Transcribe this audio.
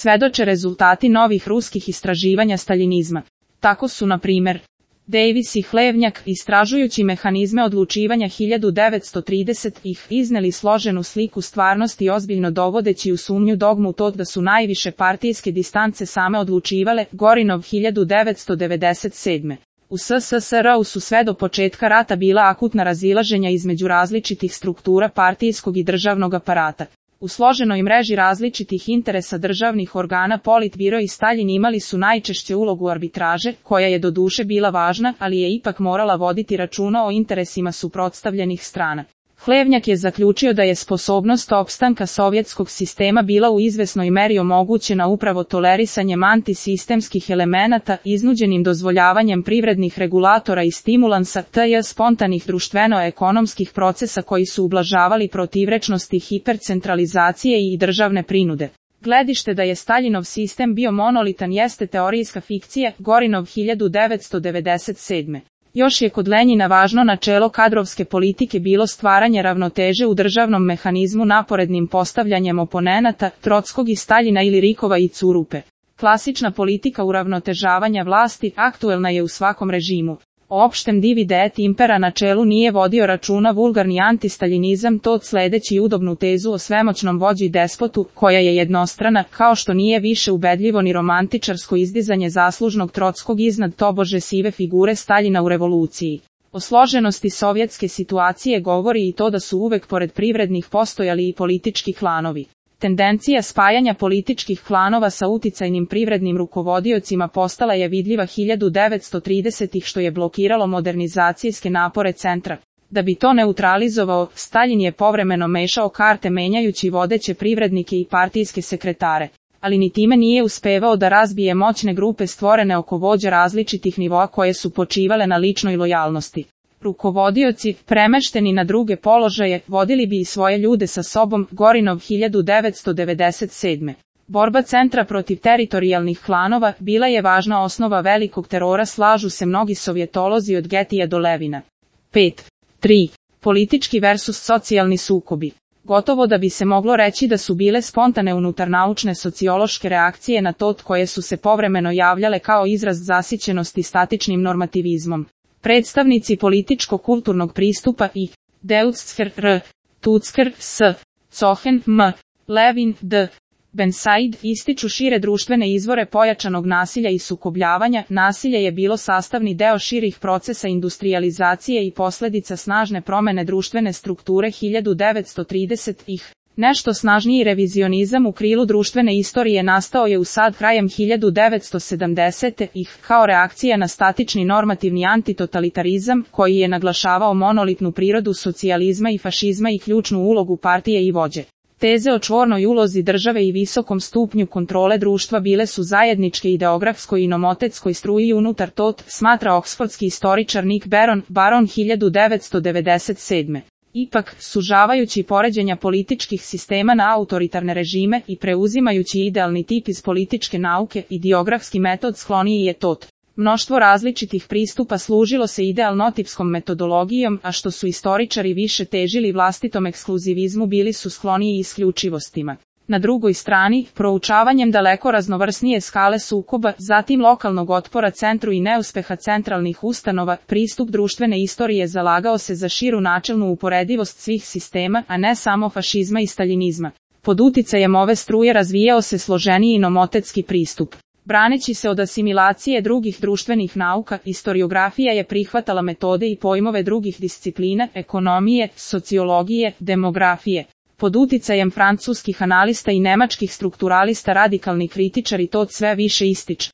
svedoče rezultati novih ruskih istraživanja staljinizma. Tako su, na primjer, Davis i Hlevnjak, istražujući mehanizme odlučivanja 1930-ih, izneli složenu sliku stvarnosti ozbiljno dovodeći u sumnju dogmu to da su najviše partijske distance same odlučivale, Gorinov 1997. U SSSR-u su sve do početka rata bila akutna razilaženja između različitih struktura partijskog i državnog aparata. U složenoj mreži različitih interesa državnih organa Politbiro i Staljin imali su najčešće ulogu arbitraže, koja je doduše bila važna, ali je ipak morala voditi računa o interesima suprotstavljenih strana. Hlevnjak je zaključio da je sposobnost opstanka sovjetskog sistema bila u izvesnoj meri omogućena upravo tolerisanjem antisistemskih elemenata, iznuđenim dozvoljavanjem privrednih regulatora i stimulansa, tj. spontanih društveno-ekonomskih procesa koji su ublažavali protivrečnosti hipercentralizacije i državne prinude. Gledište da je Staljinov sistem bio monolitan jeste teorijska fikcija, Gorinov 1997. Još je kod Lenjina važno načelo kadrovske politike bilo stvaranje ravnoteže u državnom mehanizmu naporednim postavljanjem oponenata, Trockog i Staljina ili Rikova i Curupe. Klasična politika uravnotežavanja vlasti aktuelna je u svakom režimu. O opštem divide et impera načelu nije vodio računa vulgarni antistaljinizam, to sledeći udobnu tezu o svemoćnom vođi i despotu, koja je jednostrana, kao što nije više ubedljivo ni romantičarsko izdizanje zaslužnog Trockog iznad tobože sive figure Staljina u revoluciji. O složenosti sovjetske situacije govori i to da su uvek pored privrednih postojali i politički klanovi. Tendencija spajanja političkih klanova sa uticajnim privrednim rukovodiocima postala je vidljiva 1930-ih što je blokiralo modernizacijske napore centra. Da bi to neutralizovao, Staljin je povremeno mešao karte menjajući vodeće privrednike i partijske sekretare. Ali ni time nije uspevao da razbije moćne grupe stvorene oko vođa različitih nivoa koje su počivale na ličnoj lojalnosti. Rukovodioci, premešteni na druge položaje, vodili bi i svoje ljude sa sobom, Gorinov 1997. Borba centra protiv teritorijalnih klanova bila je važna osnova velikog terora, slažu se mnogi sovjetolozi od Getija do Levina. 5.3. Politički versus socijalni sukobi. Gotovo da bi se moglo reći da su bile spontane unutarnaučne sociološke reakcije na to koje su se povremeno javljale kao izraz zasićenosti statičnim normativizmom. Predstavnici političko-kulturnog pristupa i Deutscher R. Tucker S. Cohen M. Levin D. Bensaid ističu šire društvene izvore pojačanog nasilja i sukobljavanja. Nasilje je bilo sastavni deo širih procesa industrijalizacije i posledica snažne promene društvene strukture 1930-ih. Nešto snažniji revizionizam u krilu društvene istorije nastao je u SAD krajem 1970-ih kao reakcija na statični normativni antitotalitarizam koji je naglašavao monolitnu prirodu socijalizma i fašizma i ključnu ulogu partije i vođe. Teze o čvornoj ulozi države i visokom stupnju kontrole društva bile su zajedničke ideografskoj i nomotetskoj struji unutar TOT, smatra oksfordski istoričar Nick Baron 1997. Ipak, sužavajući poređenja političkih sistema na autoritarne režime i preuzimajući idealni tip iz političke nauke, ideografski metod skloniji je TOT. Mnoštvo različitih pristupa služilo se idealnotipskom metodologijom, a što su istoričari više težili vlastitom ekskluzivizmu bili su skloniji isključivostima. Na drugoj strani, proučavanjem daleko raznovrsnije skale sukoba, zatim lokalnog otpora centru i neuspeha centralnih ustanova, pristup društvene istorije zalagao se za širu načelnu uporedivost svih sistema, a ne samo fašizma i staljinizma. Pod uticajem ove struje razvijao se složeniji nomotetski pristup. Braneći se od asimilacije drugih društvenih nauka, istoriografija je prihvatala metode i pojmove drugih disciplina, ekonomije, sociologije, demografije. Pod uticajem francuskih analista i nemačkih strukturalista radikalni kritičari to sve više ističu.